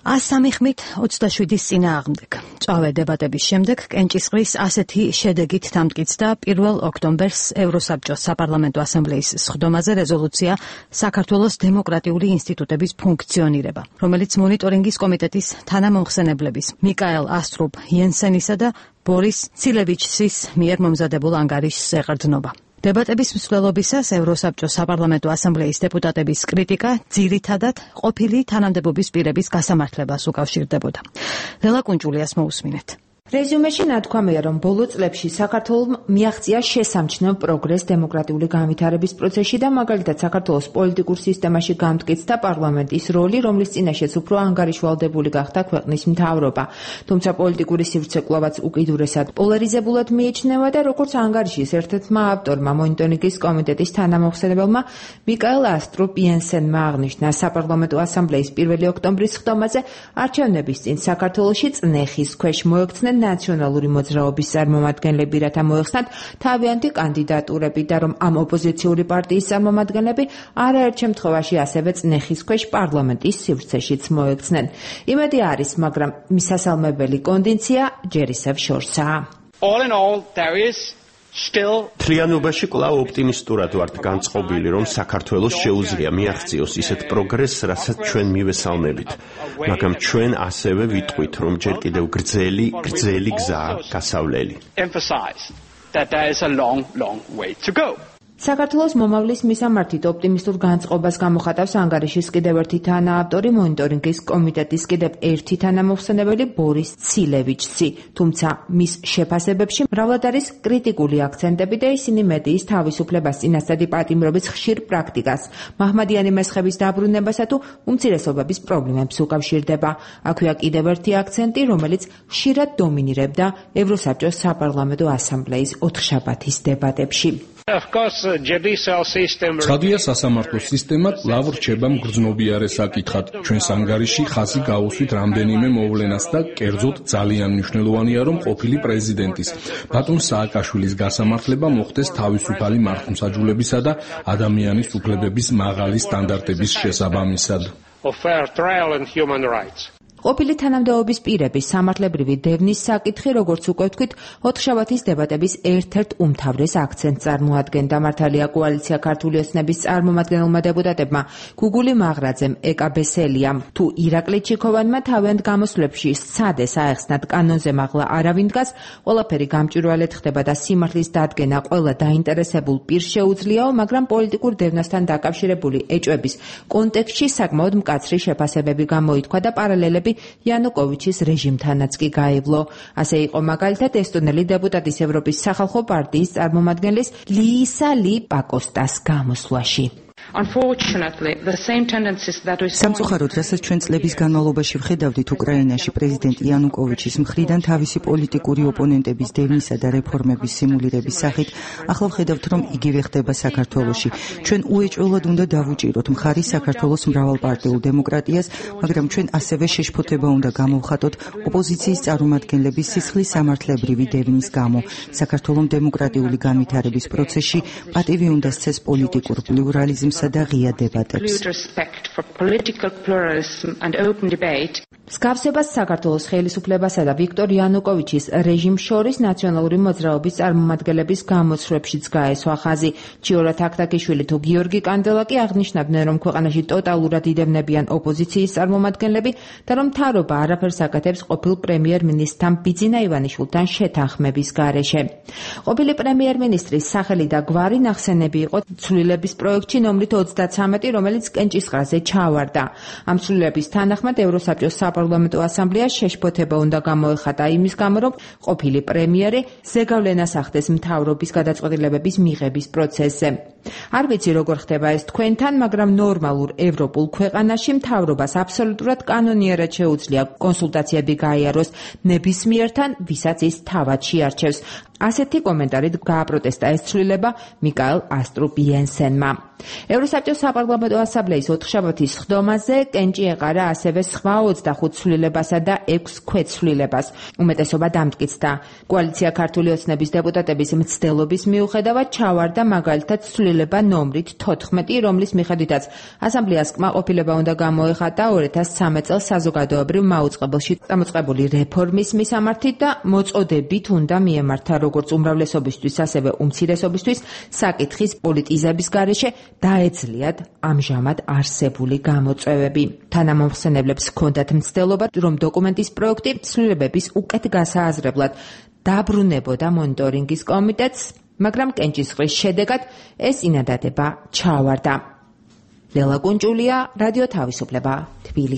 103 ხმით 27-ის წინააღმდეგ. წვავე დებატების შემდეგ კენჭისყრის ასეთი შედეგით დამტკიცდა 1 ოქტომბერს ევროსაბჭოს საპარლამენტო ასამბლეის სხდომაზე რეზოლუცია საქართველოს დემოკრატიული ინსტიტუტების ფუნქციონირება, რომელიც მონიტორინგის კომიტეტის თანამომხსენებლების მიკაელ ასტრუპ იენსენისა და ბორის ცილევიჩის მიერ მომზადებულ ანგარიშს ეყრდნობა. დებატების მსვლელობისას ევროსაბჭოს საპარლამენტო ასამბლეის დეპუტატების კრიტიკა ძირითადად ყოფილი თანამდებობის პირების გასამართლებას უკავშირდებოდა. ლელა კუნჭულიას მოусმინეთ. რეზუმეში ნათქვამია, რომ ბოლო წლებში საქართველოს მიაღწია შესამჩნევ პროგრესს დემოკრატიული განვითარების პროცესში და მაგალითად საქართველოს პოლიტიკურ სისტემაში გამტკიცდა პარლამენტის როლი, რომლის წინაშეც უფრო ანგარიშვალდებული გახდა ქვეყნის მთავრობა. თუმცა პოლიტიკური სივრცე კვლავაც უკიდურესად პოლარიზებულად მიიჩნევა და როგორც ანგარიშის ერთ-ერთმა ავტორმა მონიტორინგის კომიტეტის თანამომხსენებელმა მიკაელ ასტრუპ იენსენმა აღნიშნა, საპარლამენტო ასამბლეის 1 ოქტომბრის სხდომაზე არჩევნების წინ საქართველოში წნეხის ქვეშ მოექცნენ ნაციონალური მოძრაობის წარმომადგენლები, რათა მოეხსნათ თავიანთი კანდიდატურები და რომ ამ ოპოზიციური პარტიის წარმომადგენლები არაერთ შემთხვევაში ასევე წნეხის ქვეშ პარლამენტის სივრცეშიც მოექცნენ. იმედი არის, მაგრამ მისასალმებელი კონდიცია ჯერ ისევ შორსაა. All in all, there is თლიანობაში კვლავ ოპტიმისტურად ვართ განწყობილი, რომ საქართველოს შეუძლია მიაღწიოს ისეთ პროგრესს, რასაც ჩვენ მივესალმებით. მაგრამ ჩვენ ასევე ვიტყვით, რომ ჯერ კიდევ გრძელი გზაა გასავლელი. საქართველოს მომავლის მისამართით ოპტიმისტურ განწყობას გამოხატავს ანგარიშის კიდევ ერთი თანაავტორი, მონიტორინგის კომიტეტის კიდევ ერთი თანამომხსენებელი ბორის ცილევიჩი. თუმცა მის შეფასებებში მრავლად არის კრიტიკული აქცენტები და ისინი მედიის თავისუფლებას, წინასწარი პატიმრობის ხშირ პრაქტიკას, მაჰმადიანი მესხების დაბრუნებასა თუ უმცირესობების პრობლემებს უკავშირდება. აქვეა კიდევ ერთი აქცენტი, რომელიც ხშირად დომინირებდა ევროსაბჭოს საპარლამენტო ასამბლეის ოთხშაბათის დებატებში. ცხადია, სასამართლო სისტემა კვლავ რჩება მგრძნობიარე საკითხად. ჩვენს ანგარიში ხაზი გაუსვით რამდენიმე მოვლენას და კერძოდ ძალიან მნიშვნელოვანია, რომ ყოფილი პრეზიდენტის ბატონ სააკაშვილის გასამართლება მოხდეს თავისუფალი მართლმსაჯულებისა და ადამიანის უფლებების მაღალი სტანდარტების შესაბამისად. ყოფილი თანამდებობის პირების სამართლებრივი დევნის საკითხი, როგორც უკვე ვთქვით, ოთხშაბათის დებატების ერთ-ერთ უმთავრეს აქცენტს წარმოადგენდა. მართალია კოალიცია ქართული ოცნების წარმომადგენელმა დეპუტატებმა გუგული მაღრაძემ, ეკა ბესელიამ თუ ირაკლი ჩიქოვანმა თავიანთ გამოსვლებში სცადეს აეხსნათ კანონზე მაღლა არავინ დგას, ყველაფერი გამჭვირვალედ ხდება და სიმართლის დადგენა ყველა დაინტერესებულ პირს შეუძლიაო, მაგრამ პოლიტიკურ დევნასთან დაკავშირებული ეჭვების კონტექსტში საკმაოდ მკაცრი შეფასებები გამოითქვა და პარალელები იანუკოვიჩის რეჟიმთანაც კი გაევლო. ასე იყო მაგალითად ესტონელი დეპუტატის ევროპის სახალხო პარტიის წარმომადგენლის ლიისა ალი პაკოსტას გამოსვლაში. სამწუხაროდ, რასაც ჩვენ წლების განმავლობაში ვხედავდით უკრაინაში პრეზიდენტ იანუკოვიჩის მხრიდან თავისი პოლიტიკური ოპონენტების დევნისა და რეფორმების სიმულირების სახით, ახლა ვხედავთ, რომ იგივე ხდება საქართველოში. ჩვენ უეჭველად უნდა დავუჭიროთ მხარი საქართველოს მრავალპარტიულ დემოკრატიას, მაგრამ ჩვენ ასევე შეშფოთება უნდა გამოვხატოთ ოპოზიციის წარმომადგენლების სისხლის სამართლებრივი დევნის გამო. საქართველოს დემოკრატიული განვითარების პროცესში პატივი უნდა სცეს პოლიტიკურ პლურალიზმს და ღია დებატებს. მსგავსებას საქართველოს ხელისუფლებასა და ვიქტორ იანუკოვიჩის რეჟიმს შორის ნაციონალური მოძრაობის წარმომადგენლების გამოცვლებშიც გაესვა ხაზი. ჩიორა თაქთაქიშვილი თუ გიორგი კანდელაკი აღნიშნავდნენ, რომ ქვეყანაში ტოტალურად იდევნებიან ოპოზიციის წარმომადგენლები და რომ მთავრობა არაფერს აკეთებს ყოფილ პრემიერ-მინისტრთან ბიძინა ივანიშვილთან შეთანხმების გარეშე. ყოფილი პრემიერ-მინისტრის სახელი და გვარი ნახსენები იყო ცვლილების პროექტში ნომრით 33, რომელიც კენჭისყრაზე ჩავარდა. ამ ცვლილების თანახმად ევროსაბჭოს საპარლამენტო ასამბლეას შეშფოთება უნდა გამოეხატა იმის გამო, რომ ყოფილი პრემიერი ზეგავლენას ახდენს მთავრობის გადაწყვეტილებების მიღების პროცესზე. არ ვიცი როგორ ხდება ეს თქვენთან, მაგრამ ნორმალურ ევროპულ ქვეყანაში მთავრობას აბსოლუტურად კანონიერად შეუძლია კონსულტაციები გაიაროს ნებისმიერთან, ვისაც ის თავად შეარჩევს. ასეთი კომენტარით გააპროტესტა ეს ცვლილება მიკაელ ასტრუპ იენსენმა. ევროსაბჭოს საპარლამენტო ასამბლეის ოთხშაბათის სხდომაზე კენჭი ეყარა ასევე სხვა 25 ცვლილებასა და 6 ქვეცვლილებას. უმეტესობა დამტკიცდა. კოალიცია ქართული ოცნების დეპუტატების მცდელობის მიუხედავად ჩავარდა მაგალითად ცვლილება ნომრით 14, რომლის მიხედვითაც ასამბლეას კმაყოფილება უნდა გამოეხატა 2013 წელს საზოგადოებრივ მაუწყებელში წამოწყებული რეფორმის მისამართით და მოწოდებით უნდა მიემართა როგორც უმრავლესობისთვის, ასევე უმცირესობისთვის საკითხის პოლიტიზების გარეშე დაეძლიათ ამჟამად არსებული გამოწვევები. თანამომხსენებლებს ჰქონდათ მცდელობა, რომ დოკუმენტის პროექტი ცვლილებების უკეთ გასააზრებლად დაბრუნებოდა მონიტორინგის კომიტეტს, მაგრამ კენჭისყრის შედეგად ეს წინადადება ჩაავარდა. ლელა კუნჭულია, რადიო თავისუფლება, თბილისი.